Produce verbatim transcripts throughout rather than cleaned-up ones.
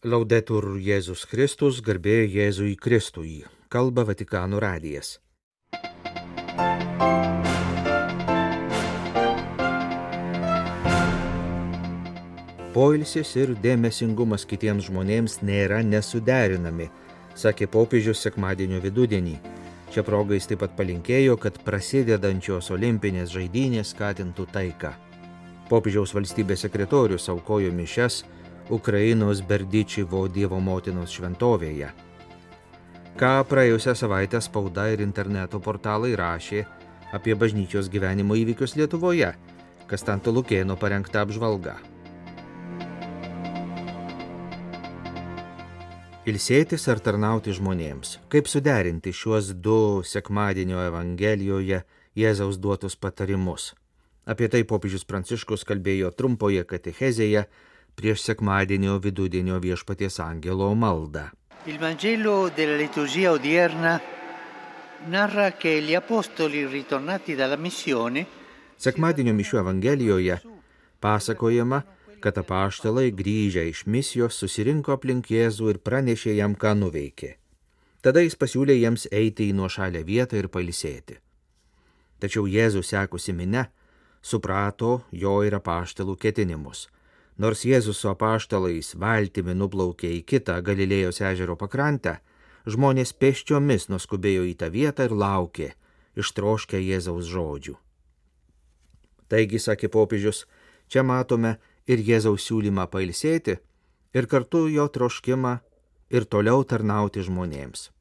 Laudetur Jėzus Kristus, garbė Jėzui Kristui, kalba Vatikano radijas. Poilsis ir dėmesingumas kitiems žmonėms nėra nesuderinami, sakė popiežius sekmadienio vidudienį. Čia proga jis taip pat palinkėjo, kad prasidedančios olimpinės žaidynės skatintų taiką. Popiežiaus valstybės sekretorius aukojo mišias Ukrainos Berdyčivo Dievo motinos šventovėje. Ką praėjusią savaitę spauda ir interneto portalai rašė apie bažnyčios gyvenimo įvykius Lietuvoje, Kastanto Lukėno parengta apžvalga. Ilsėtis ar tarnauti žmonėms. Kaip suderinti šiuos du sekmadienio Evangelijoje Jėzaus duotus patarimus? Apie tai popiežius Pranciškus kalbėjo trumpoje katechezėje prieš sekmadienio vidudienio viešpaties angelo maldą. Il Vangelo della liturgia odierna narra che gli apostoli ritornati dalla missione. Sekmadienio mišių Evangelijoje pasakojama, kad apaštalai grįžę iš misijos susirinko aplink Jėzų ir pranešė jam, ką nuveikė. Tada jis pasiūlė jiems eiti į nuošalę vietą ir pailsėti. Tačiau Jėzus sekusi minia suprato jo ir apaštalų ketinimus. Nors Jėzus su apaštalais valtimi nuplaukė į kitą Galilėjos ežero pakrantę, žmonės pėsčiomis nuskubėjo į tą vietą ir laukė, ištroškę Jėzaus žodžių. Taigi, sakė popiežius, čia matome ir Jėzaus siūlymą pailsėti, ir kartu jo troškimą ir toliau tarnauti žmonėms.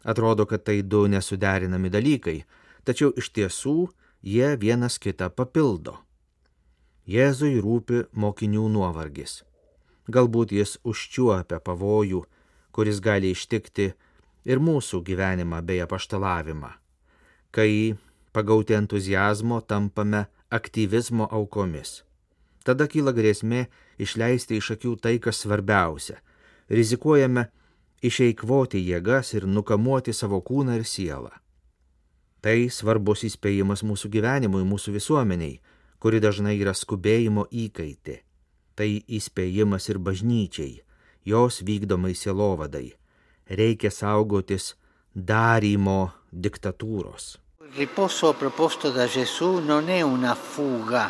Atrodo, kad tai du nesuderinami dalykai, tačiau iš tiesų jie vienas kitą papildo. Jėzui rūpi mokinių nuovargis. Galbūt jis užčiuopia pavojų, kuris gali ištikti ir mūsų gyvenimą bei apaštalavimą, kai pagauti entuziazmo tampame aktyvizmo aukomis. Tada kyla grėsmė išleisti iš akių tai, kas svarbiausia. Rizikuojame išeikvoti jėgas ir nukamuoti savo kūną ir sielą. Tai svarbus įspėjimas mūsų gyvenimui, mūsų visuomeniai, kuri dažnai yra skubėjimo įkaitė. Tai įspėjimas ir bažnyčiai, jos vykdomai sielovadai. Reikia saugotis darymo diktatūros. Il riposo proposto da Gesù non è una fuga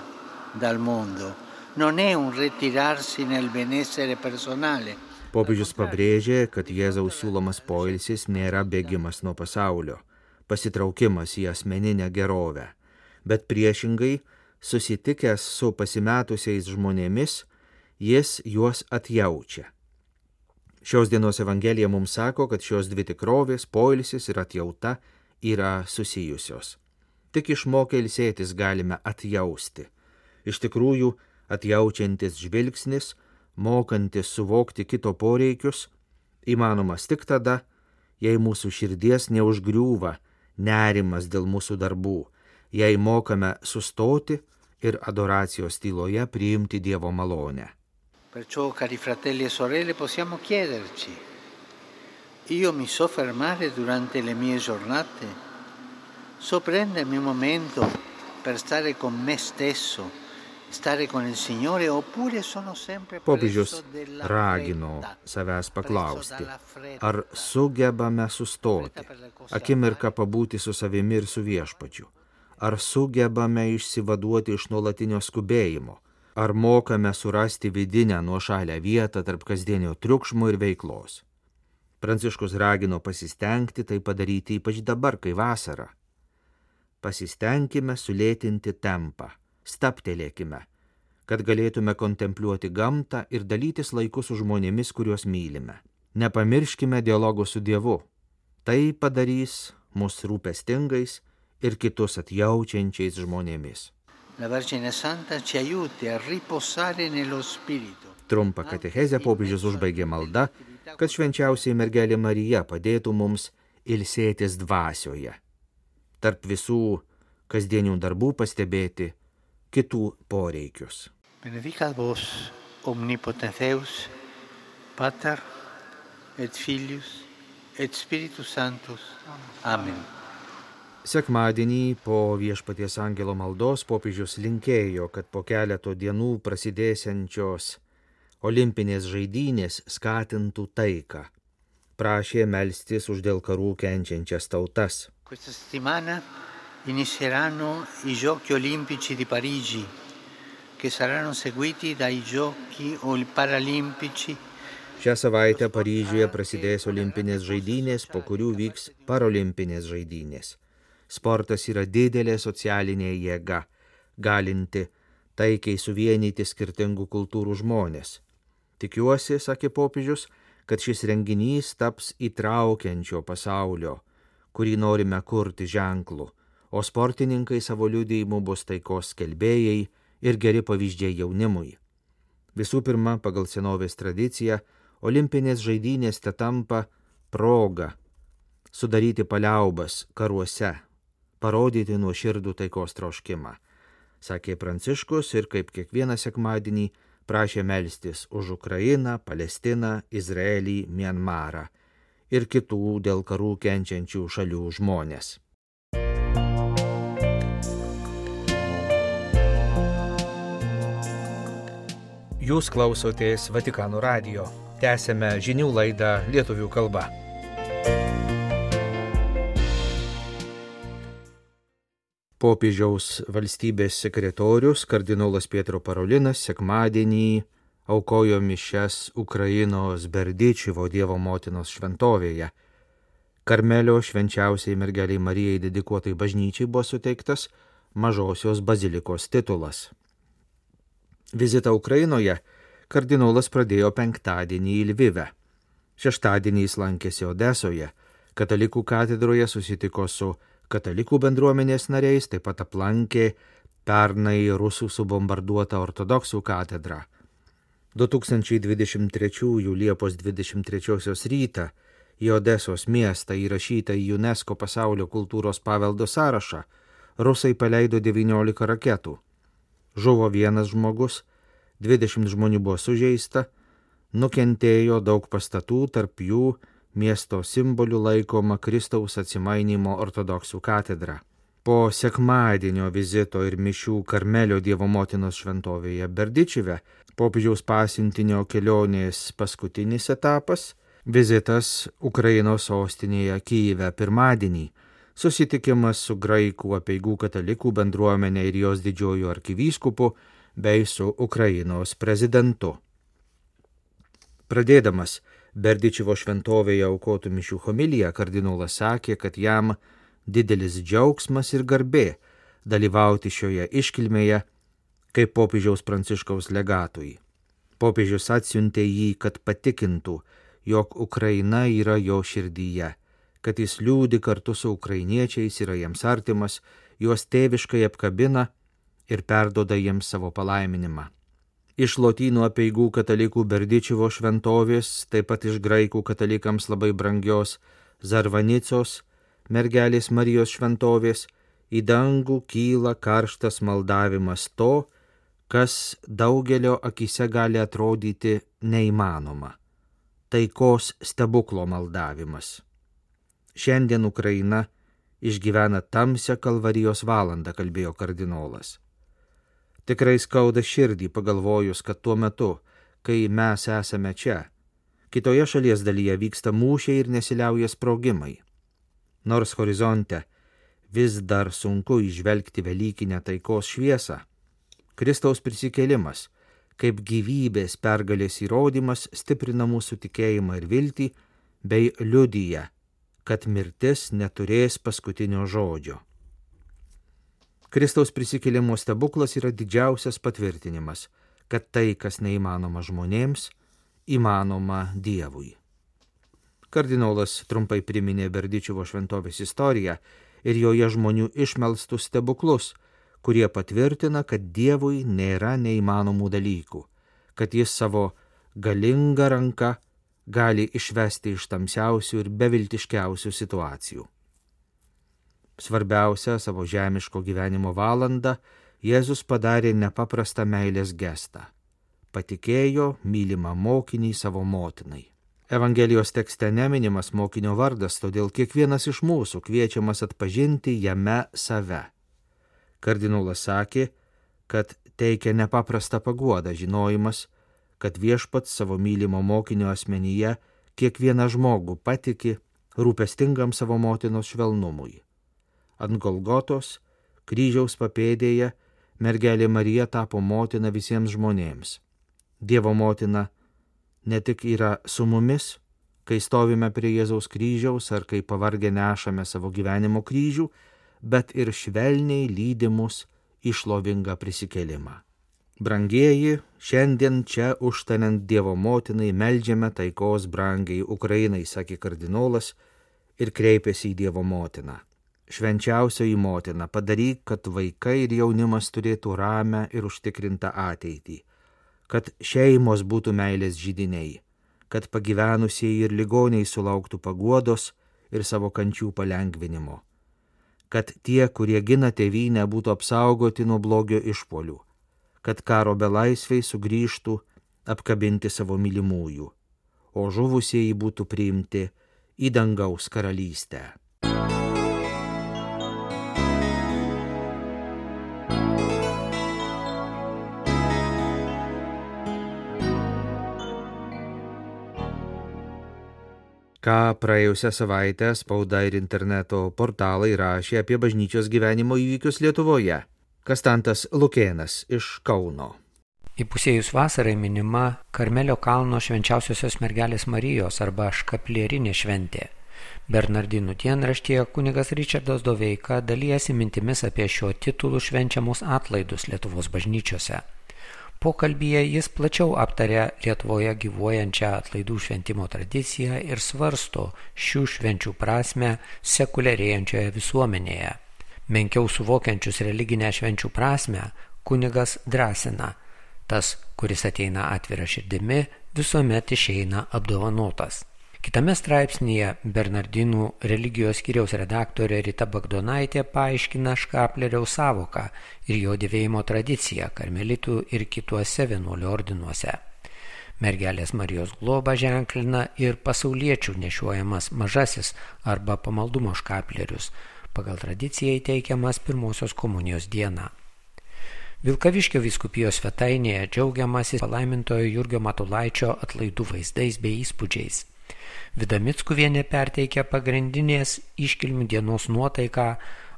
dal mondo, non è un ritirarsi nel benessere personale. Popiežius pabrėžė, kad Jėzaus siūlomas poilsis nėra bėgimas nuo pasaulio, pasitraukimas į asmeninę gerovę, bet priešingai, susitikęs su pasimetusiais žmonėmis, jis juos atjaučia. Šios dienos Evangelija mums sako, kad šios dvi tikrovės, poilsis ir atjauta, yra susijusios. Tik išmokę ilsėtis galime atjausti. Iš tikrųjų, atjaučiantis žvilgsnis, mokantis suvokti kito poreikius, įmanomas tik tada, jei mūsų širdies neužgriūva nerimas dėl mūsų darbų, jei mokame sustoti ir adoracijos tyloje priimti Dievo malonę. Perciò, cari fratelli e sorelle, possiamo chiederci: io mi so fermare durante le mie giornate? So prendermi un momento per stare con me stesso, stare con il Signore, oppure sono sempre Popiežius preso della ragino fretta, savęs paklausti, preso dalla fretta, ar sugebame sustoti, akimirką pabūti su savimi ir su viešpačiu, ar sugebame išsivaduoti iš nuolatinio skubėjimo, ar mokame surasti vidinę nuošalę vietą tarp kasdienio triukšmo ir veiklos. Pranciškus ragino pasistengti tai padaryti ypač dabar, kai vasara. Pasistengime sulėtinti tempą, stabtelėkime, kad galėtume kontempliuoti gamtą ir dalytis laiku su žmonėmis, kuriuos mylime. Nepamirškime dialogo su Dievu. Tai padarys mus rūpestingais ir kitus atjaučiančiais žmonėmis. La Vergine Santa ci aiuti a riposare nello spirito. Trumpą katechezę popiežius užbaigė malda, kad švenčiausiai mergelė Marija padėtų mums ilsėtis dvasioje. Tarp visų kasdienių darbų pastebėti kitų poreikius. Benedicat vos omnipotens Deus, Pater et Filius et Spiritus Sanctus. Amen. Sekmadienį po viešpaties angelo maldos popiežius linkėjo, kad po keleto dienų prasidėsiančios olimpinės žaidynės skatintų taiką. Prašė melstis už dėl karų kenčiančias tautas. Questa settimana inizieranno i Giochi Olimpici di Parigi, che saranno seguiti dai Giochi Paralimpici. Šią savaitę Paryžiuje prasidės olimpinės žaidynės, po kurių vyks parolimpinės žaidynės. Sportas yra didelė socialinė jėga, galinti taikiai suvienyti skirtingų kultūrų žmonės. Tikiuosi, sakė popiežius, kad šis renginys taps įtraukiančio pasaulio, kurį norime kurti ženklu, o sportininkai savo liudijimu bus taikos skelbėjai ir geri pavyzdžiai jaunimui. Visų pirma, pagal senovės tradiciją, olimpinės žaidynės te tampa proga sudaryti paliaubas karuose, parodyti nuoširdų taikos troškimą, sakė Pranciškus ir kaip kiekvieną sekmadienį prašė melstis už Ukrainą, Palestiną, Izraelį, Mianmarą ir kitų dėl karų kenčiančių šalių žmonės. Jūs klausotės Vatikano radijo. Tęsėme žinių laidą lietuvių kalba. Popiežiaus valstybės sekretorius kardinolas Pietro Parolinas sekmadienį aukojo mišias Ukrainos Berdičivo Dievo motinos šventovėje. Karmelio švenčiausiai mergeliai Marijai dedikuotai bažnyčiai buvo suteiktas Mažosios bazilikos titulas. Vizitą Ukrainoje kardinolas pradėjo penktadienį į Lvivę. Šeštadienį jis lankėsi Odesoje, katalikų katedroje susitiko su katalikų bendruomenės nariais, taip pat aplankė pernai rusų subombarduotą ortodoksų katedrą. du tūkstančiai dvidešimt trečiųjų Liepos dvidešimt trečiosios rytą į Odesos miestą įrašytą į UNESCO pasaulio kultūros paveldo sąrašą rusai paleido devyniolika raketų. Žuvo vienas žmogus, dvidešimt žmonių buvo sužeista, nukentėjo daug pastatų, tarp jų miesto simbolių laikoma Kristaus atsimainymo ortodoksų katedra. Po sekmadienio vizito ir mišių Karmelio Dievo motinos šventovėje Berdičive, popiežiaus pasiuntinio kelionės paskutinis etapas, vizitas Ukrainos sostinėje Kyjive pirmadienį, susitikimas su graikų apeigų katalikų bendruomenė ir jos didžiuoju arkivyskupu bei su Ukrainos prezidentu. Pradėdamas Berdičivo šventovėje aukotų mišių homiliją, kardinolas sakė, kad jam didelis džiaugsmas ir garbė dalyvauti šioje iškilmėje kaip popiežiaus Pranciškaus legatui. Popiežius atsiuntė jį, kad patikintų, jog Ukraina yra jo širdyje, kad jis liūdi kartu su ukrainiečiais, yra jiems artimas, juos tėviškai apkabina ir perdoda jiems savo palaiminimą. Iš lotynų apeigų katalikų Berdičivo šventovės, taip pat iš graikų katalikams labai brangios Zarvanicos, mergelės Marijos šventovės, į dangų kyla karštas maldavimas to, kas daugelio akise gali atrodyti neįmanoma. Taikos stebuklo maldavimas. Šiandien Ukraina išgyvena tamsią kalvarijos valandą, kalbėjo kardinolas. Tikrai skauda širdį pagalvojus, kad tuo metu, kai mes esame čia, kitoje šalies dalyje vyksta mūšiai ir nesiliauja sprogimai. Nors horizonte vis dar sunku įžvelgti velykinę taikos šviesą, Kristaus prisikėlimas, kaip gyvybės pergalės įrodymas, stiprina mūsų tikėjimą ir viltį, bei liudija, kad mirtis neturės paskutinio žodžio. Kristaus prisikėlimo stebuklas yra didžiausias patvirtinimas, kad tai, kas neįmanoma žmonėms, įmanoma Dievui. Kardinolas trumpai priminė Berdičivo šventovės istoriją ir joje žmonių išmelstus stebuklus, kurie patvirtina, kad Dievui nėra neįmanomų dalykų, kad jis savo galingą ranką gali išvesti iš tamsiausių ir beviltiškiausių situacijų. Svarbiausia savo žemiško gyvenimo valandą Jėzus padarė nepaprastą meilės gestą. Patikėjo mylimą mokinį savo motinai. Evangelijos tekste neminimas mokinio vardas, todėl kiekvienas iš mūsų kviečiamas atpažinti jame save. Kardinolas sakė, kad teikia nepaprastą paguodą žinojimas, kad viešpats savo mylimo mokinio asmenyje kiekvieną žmogų patiki rūpestingam savo motinos švelnumui. Ant Golgotos, kryžiaus papėdėje, mergelė Marija tapo motina visiems žmonėms. Dievo motina ne tik yra su mumis, kai stovime prie Jėzaus kryžiaus ar kai pavargę nešame savo gyvenimo kryžių, bet ir švelniai lydi mus į šlovingą prisikėlimą. Brangieji, šiandien čia užtariant Dievo motinai meldžiame taikos brangiai Ukrainai, sakė kardinolas ir kreipėsi į Dievo motiną. Švenčiausioji motina, padaryk, kad vaikai ir jaunimas turėtų ramę ir užtikrintą ateitį, kad šeimos būtų meilės židiniai, kad pagyvenusieji ir ligoniai sulauktų paguodos ir savo kančių palengvinimo, kad tie, kurie gina tėvynę, būtų apsaugoti nuo blogio išpuolių, kad karo belaisviai sugrįžtų apkabinti savo mylimųjų, o žuvusieji būtų priimti į dangaus karalystę. Ką praėjusią savaitę spauda ir interneto portalai rašė apie bažnyčios gyvenimo įvykius Lietuvoje. Kastantas Lukėnas iš Kauno. Įpusėjus vasarai minima Karmelio kalno švenčiausiosios mergelės Marijos arba škaplierinė šventė. Bernardinų dienraštyje kunigas Ričardas Doveika dalijasi mintimis apie šio titulų švenčiamus atlaidus Lietuvos bažnyčiose. Pokalbyje jis plačiau aptarė Lietuvoje gyvuojančią atlaidų šventimo tradiciją ir svarsto šių švenčių prasmę sekuliarėjančioje visuomenėje. Menkiau suvokiančius religinę švenčių prasmę kunigas drąsina: tas, kuris ateina atvira širdimi, visuomet išeina apdovanotas. Kitame straipsnyje Bernardinų religijos skyriaus redaktorė Rita Bagdonaitė paaiškina škapleriaus savoką ir jo dėvėjimo tradiciją karmelitų ir kituose vienuolių ordinuose. Mergelės Marijos globą ženklina ir pasauliečių nešiojamas mažasis arba pamaldumo škaplerius, pagal tradiciją įteikiamas pirmosios komunijos dieną. Vilkaviškio vyskupijos svetainėje džiaugiamasi palaimintojo Jurgio Matulaičio atlaidų vaizdais bei įspūdžiais. Vida Mickuvienė perteikia pagrindinės iškilmių dienos nuotaiką,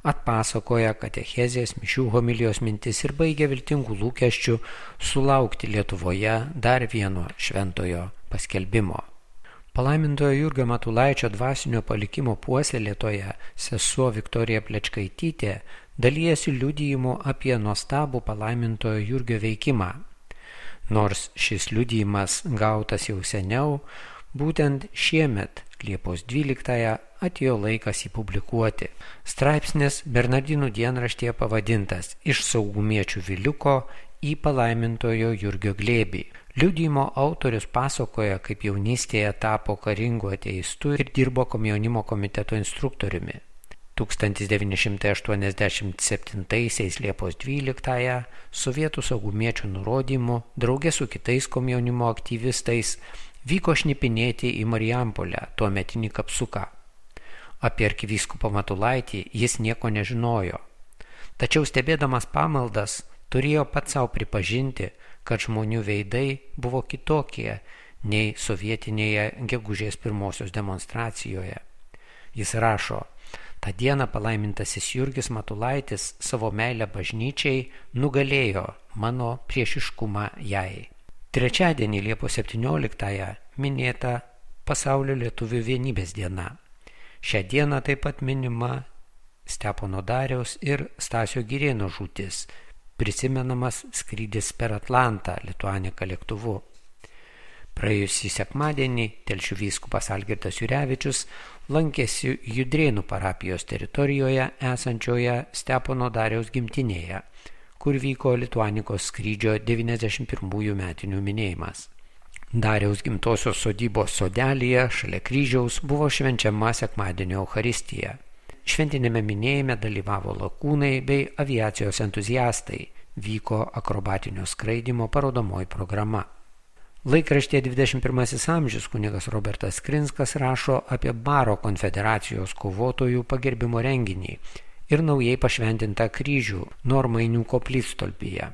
atpasakoja katechezės, mišių homilijos mintis ir baigia viltingų lūkesčių sulaukti Lietuvoje dar vieno šventojo paskelbimo. Palaimintojo Jurgio Matulaičio dvasinio palikimo puoselėtoja sesuo Viktorija Plečkaitytė dalijasi liudijimu apie nuostabų palaimintojo Jurgio veikimą. Nors šis liudijimas gautas jau seniau, būtent šiemet, Liepos dvyliktąją, atėjo laikas jį publikuoti. Straipsnis Bernardinų dienraštyje pavadintas Iš saugumiečių viliuko į palaimintojo Jurgio glėbį. Liudijimo autorius pasakoja, kaip jaunystėje tapo karingu ateistu ir dirbo komjaunimo komiteto instruktoriumi. tūkstantis devyni šimtai aštuoniasdešimt septintaisiais Liepos dvyliktąją sovietų saugumiečių nurodymu drauge su kitais komjaunimo aktyvistais vyko šnipinėti į Marijampolę, tuometinį Kapsuką. Apie arkivyskupą Matulaitį jis nieko nežinojo. Tačiau stebėdamas pamaldas turėjo pats savo pripažinti, kad žmonių veidai buvo kitokie nei sovietinėje gegužės pirmosios demonstracijoje. Jis rašo: tą dieną palaimintasis Jurgis Matulaitis savo meilę bažnyčiai nugalėjo mano priešiškumą jai. Trečiadienį Liepos septynioliktąją minėta Pasaulio lietuvių vienybės diena. Šią dieną taip pat minima Stepono Dariaus ir Stasio Girėno žūtis, prisimenamas skrydis per Atlantą Lituanika lėktuvu. Praėjusį sekmadienį Telšių vyskupas Algirdas Jurevičius lankėsi Judrėnų parapijos teritorijoje esančioje Stepono Dariaus gimtinėje, kur vyko Lituanikos skrydžio devyniasdešimt pirmųjų metinių minėjimas. Dariaus gimtosios sodybos sodelyje šalia kryžiaus buvo švenčiama sekmadienio Eucharistija. Šventinėme minėjime dalyvavo lakūnai bei aviacijos entuziastai, vyko akrobatinio skraidymo parodomoji programa. Laikraštyje dvidešimt pirmasis amžius kunigas Robertas Krinskas rašo apie Baro konfederacijos kovotojų pagerbimo renginį ir naujai pašventintą kryžių Normainių koplytstulpyje.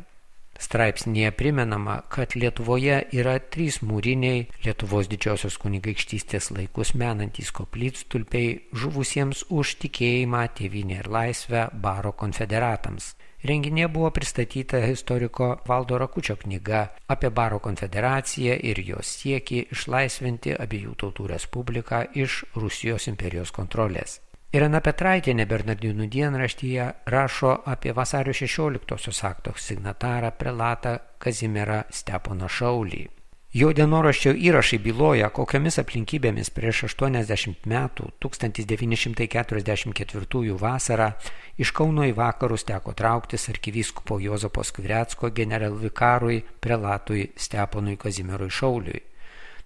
Straipsnėje primenama, kad Lietuvoje yra trys mūriniai Lietuvos didžiosios kunigaikštystės laikus menantys koplytstulpiai žuvusiems už tikėjimą, tėvynę ir laisvę baro konfederatams. Renginėje buvo pristatyta istoriko Valdo Rakučio knyga apie baro konfederaciją ir jos siekį išlaisvinti abiejų tautų respubliką iš Rusijos imperijos kontrolės. Irena Petraitienė Bernardinų dienraštyje rašo apie vasario šešioliktosios akto signatarą prelatą Kazimierą Steponą Šaulį. Jo dienoraščio įrašai byloja, kokiamis aplinkybėmis prieš aštuoniasdešimt metų, tūkstantis devyni šimtai keturiasdešimt ketvirtųjų vasarą, iš Kauno į vakarus teko trauktis arkivyskupo Juozapo Skvirecko generalvikarui prelatui Steponui Kazimierui Šauliui.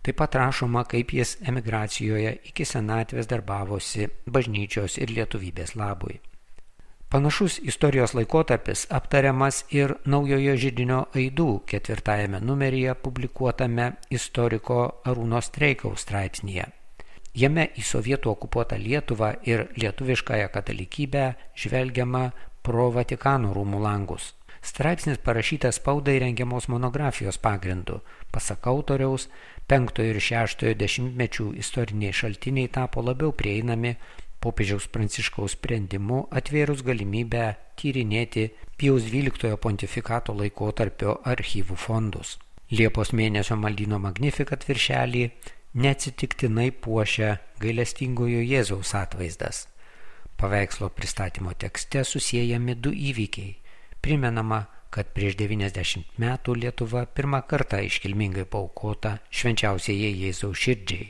Taip pat rašoma, kaip jis emigracijoje iki senatvės darbavosi bažnyčios ir lietuvybės labui. Panašus istorijos laikotarpis aptariamas ir Naujojo židinio aidų ketvirtajame numeryje publikuotame istoriko Arūno Streikaus straipsnyje. Jame į sovietų okupuotą Lietuvą ir lietuviškąją katalikybę žvelgiama pro Vatikano rūmų langus. Straipsnis parašytas spaudai rengiamos monografijos pagrindu. Pasak autoriaus, penktojo ir šeštojo dešimtmečių istoriniai šaltiniai tapo labiau prieinami popiežiaus Pranciškaus sprendimu atvėrus galimybę tyrinėti Pijaus dvyliktojo pontifikato laikotarpio archyvų fondus. Liepos mėnesio maldyno Magnificat viršelį neatsitiktinai puošia gailestingojo Jėzaus atvaizdas. Paveikslo pristatymo tekste susiejami du įvykiai. Primenama, kad prieš devyniasdešimt metų Lietuva pirmą kartą iškilmingai paaukota švenčiausiajai Jėzaus širdžiai.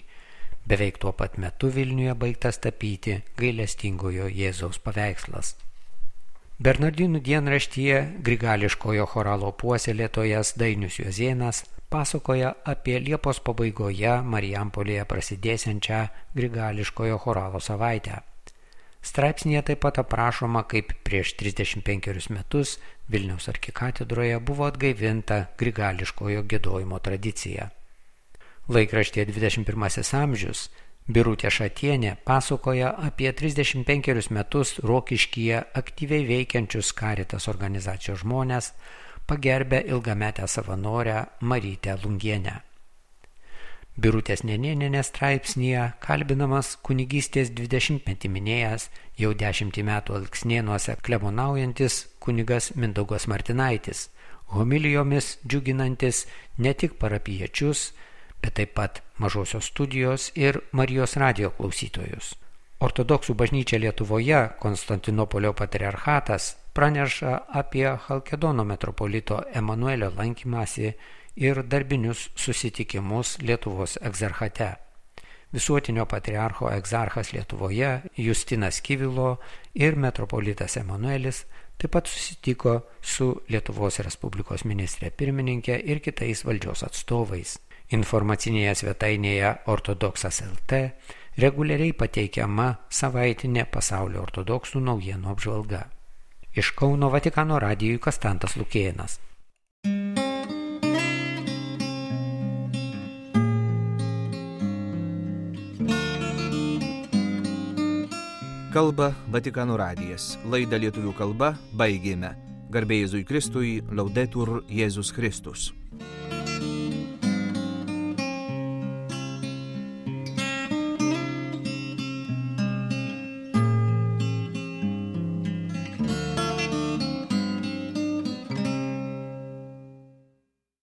Beveik tuo pat metu Vilniuje baigtas tapyti gailestingojo Jėzaus paveikslas. Bernardinų dienraštyje grigališkojo choralo puoselėtojas Dainius Juozėnas pasakoja apie Liepos pabaigoje Marijampolėje prasidėsiančią grigališkojo choralo savaitę. Straipsnėje taip pat aprašoma, kaip prieš trisdešimt penkerius metus Vilniaus arkikatedroje buvo atgaivinta grigališkojo giedojimo tradicija. Laikraštyje dvidešimt pirmasis amžius Birutė Šatienė pasakoja apie trisdešimt penkerius metus Rokiškyje aktyviai veikiančius Caritas organizacijos žmonės, pagerbę ilgametę savanorę Marytę Lungienę. Birutės Nenėnienės straipsnyje kalbinamas kunigystės dvidešimtmetį minėjęs jau dešimtį metų Alksnėnuose klebonaujantis kunigas Mindaugas Martinaitis, homilijomis džiuginantis ne tik parapijiečius, bet taip pat Mažosios studijos ir Marijos radijo klausytojus. Ortodoksų bažnyčia Lietuvoje, Konstantinopolio patriarchatas, praneša apie Chalkedono metropolito Emanuelio lankymąsi ir darbinius susitikimus Lietuvos egzarchate. Visuotinio patriarcho egzarchas Lietuvoje Justinas Kivilo ir metropolitas Emanuelis taip pat susitiko su Lietuvos Respublikos ministrė pirmininkė ir kitais valdžios atstovais. Informacinėje svetainėje ortodoksas taškas el tė reguliariai pateikiama savaitinė pasaulio ortodoksų naujienų apžvalga. Iš Kauno Vatikano radijui Kastantas Lukėnas. Kalba Vatikano radijas. Laidą lietuvių kalba baigėme. Garbė Jėzui Kristui, Laudetur Jėzus Kristus.